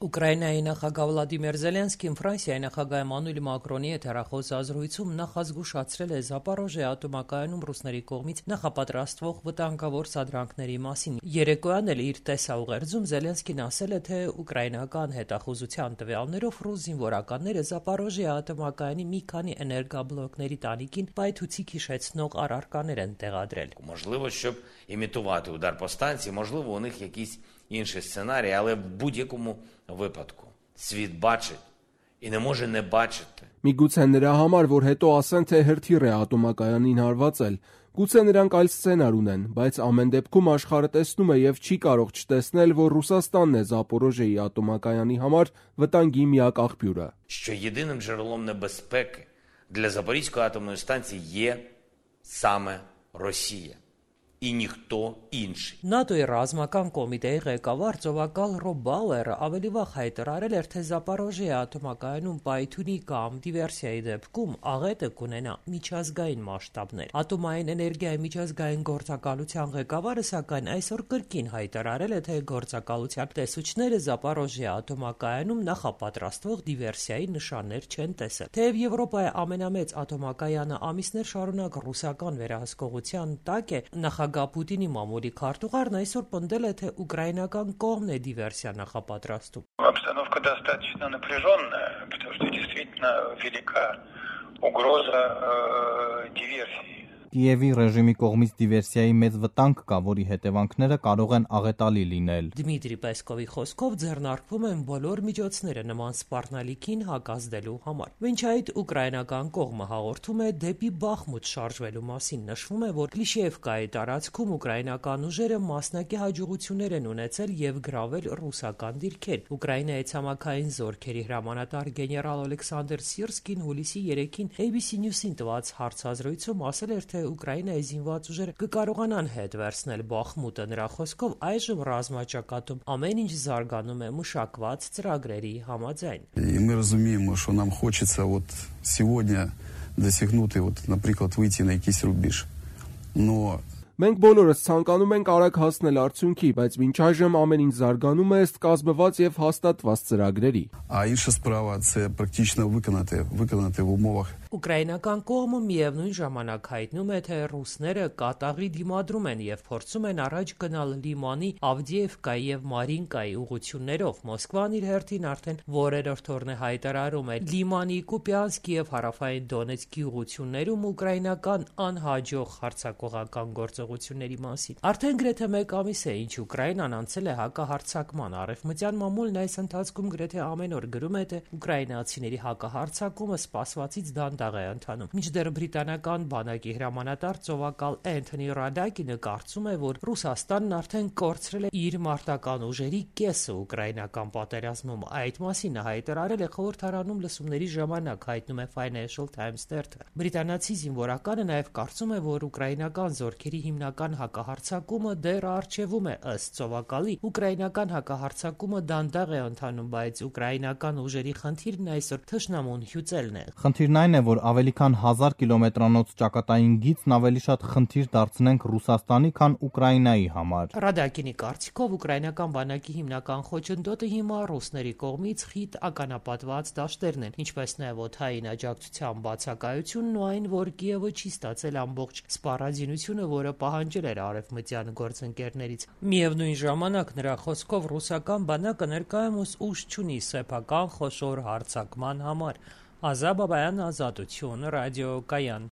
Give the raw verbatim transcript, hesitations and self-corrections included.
Ուկրաինայի նախագահ Վլադիմիր Զելենսկին Ֆրանսիայի նախագահ Էմանուել Մակրոնի հետ հեռախոս ազրույցում նախազգուշացրել է Զապորոժիե ատոմակայանում ռուսների կողմից նախապատրաստվող վտանգավոր սադրանքների մասին։ Երեկոյան էլ իր տեսաուղերձում Զելենսկին ասել է, թե ուկրաինական հետախուզության տվյալներով ռուս զինվորականները Զապորոժիե ատոմակայանի մի քանի էներգաբլոկների տանիքին պայթուցիկ հիշեցնող առարկաներ են տեղադրել։ Можливо, щоб імітувати удар по станції, можливо, у них якісь інші сценарії, але в будь-якому випадку світ бачить і не може не бачити. Միգուցե նրա համար, որ հետո ասեն, թե հրթիռ է ատոմակայանին հարվածել, գուցե նրանք այլ սցենար ունեն, բայց ամեն դեպքում աշխարհը տեսնում է եւ չի կարող չտեսնել, որ Ռուսաստանն է Զապորոժիեի ատոմակայանի համար վտանգի միակ աղբյուրը. Що єдиним джерелом небезпеки для Запорізької атомної станції є саме Росія. І ніхто інший. ՆԱՏՕ-ի ռազմական կոմիտեի ղեկավար ծովակալ Ռոբ Բաուերը ավելի վաղ հայտարարել էր, թե Զապորոժիե ատոմակայանում պայթյունի կամ դիվերսիայի դեպքում աղետը կունենա միջազգային մասշտաբներ։ Ատոմային էներգիայի միջազգային գործակալության ղեկավարը սակայն այսօր կրկին հայտարարել է, թե գործակալության տեսուչները Զապորոժիե ատոմակայանում նախապատրաստվող դիվերսիայի նշաններ չեն տեսել։ Թեև Եվրոպայի ամենամեծ ատոմակայանը ամիսներ շարունակ ռուսական վերահսկողության տակ է, նախագահ Պուտինի մամուլի քարտուղարն այսօր պնդել է, թե ուկրաինական կողմն է դիվերսիա նախապատրաստում։ Обстановка достаточно напряженная, потому что действительно велика угроза диверсии. Կիևի ռեժիմի կողմից դիվերսիայի մեծ վտանգ կա, որի հետևանքները կարող են աղետալի լինել։ Դմիտրի Պեսկովի խոսքով ձեռնարկվում են բոլոր միջոցները նման սպառնալիքին հակազդելու համար։ Մինչ այդ ուկրաինական կողմը հաղորդում է դեպի Բախմուտ շարժվելու մասին։ Նշվում է, որ Կլիշևկայի տարածքում ուկրաինական ուժերը մասնակի հաջողություններ են ունեցել եւ գրավել ռուսական դիրքեր։ Ուկրաինայի ցամաքային զորքերի հրամանատար գեներալ Ալեքսանդր Սիրսկին հուլիսի երեքին A B C News-ին տված հարցազրույցում ասել էր, թե Ուկրաինայի զինված ուժերը կկարողանան հետ վերցնել Բախմուտը։ Նրա խոսքով այժմ ռազմաճակատում ամեն ինչ զարգանում է մշակված ծրագրերի համաձայն։ И мы разумеем, что нам хочется вот сегодня достигнуть, вот, например, выйти на якийсь рубеж. Но Մենք բոլորս ցանկանում ենք արագ հասնել արդյունքի, բայց մինչ այժմ ամեն ինչ զարգանում է ըստ կազմված եւ հաստատված ծրագրերի։ А інша справа це практично виконати, виконати в умовах. Ուկրաինական կողմը միևնույն ժամանակ հայտնում է, թե ռուսները կատաղի դիմադրում են եւ փորձում են առաջ գնալ Լիմանի, Ավդիևկայի եւ Մարինկայի ուղղություններով։ Մոսկվան իր հերթին արդեն որերորդ օրն է հայտարարում է Լիմանի, Կուպյանսկի եւ հարավային Դոնեցկի ուղղություններում ուկրաինական անհաջող հարձակողական գործողությունների մասին։ Արդեն գրեթե մեկ ամիս է, ինչ Ուկրաինան անցել է հակահարձակման։ Արևմտյան մամուլն այս ընթացքում գրեթե ամեն օր գրում է, թե ուկրաինացիների հակահարձակումը սպասվածից դանդաղ է ընթանում։ Մինչդեռ բրիտանական բանակի հրամանատար ծովակալ Էնթոնի Ռադակինը կարծում է, որ Ռուսաստանն արդեն կորցրել է իր մարտական ուժերի կեսը ուկրաինական պատերազմում։ Այդ մասին հայտարարել է խորհրդարանում լսումների ժամանակ, հայտնում է Financial Times թերթը։ Բրիտանացի զինվորականը նաև կարծում է, որ ուկրաինական զորքերի հիմնական հակահարձակումը դեռ առջևում է։ Ըստ ծովակալի, ուկրաինական հակահարձակումը դանդաղ է ընթանում, բայց ուկրաինական ուժերի խնդիրն այսօր թշնամուն հյուծելն է։ Խնդիրն այն է, որ ավելի քան հազար կիլոմետրանոց ճակատային գիծն ավելի շատ խնդիր դարձնենք Ռուսաստանի, քան Ուկրաինայի համար։ Ռադակինի կարծիքով ուկրաինական բանակի հիմնական խոչընդոտը հիմա ռուսների կողմից խիտ ականապատված դաշտերն են, ինչպես նաև օդային աջակցության բացակայությունն ու այն, որ Կիևը չի ստացել ամբողջ սպառազինությունը, որը պահանջել էր արևմտյան գործընկերներից։ Միևնույն ժամանակ նրա խոսքով ռուսական բանակը ներկայումս ուժ չունի սեփական խոշոր հարձակման համար։ Ազա Բաբայան, Ազատություն, ռադիոկայան։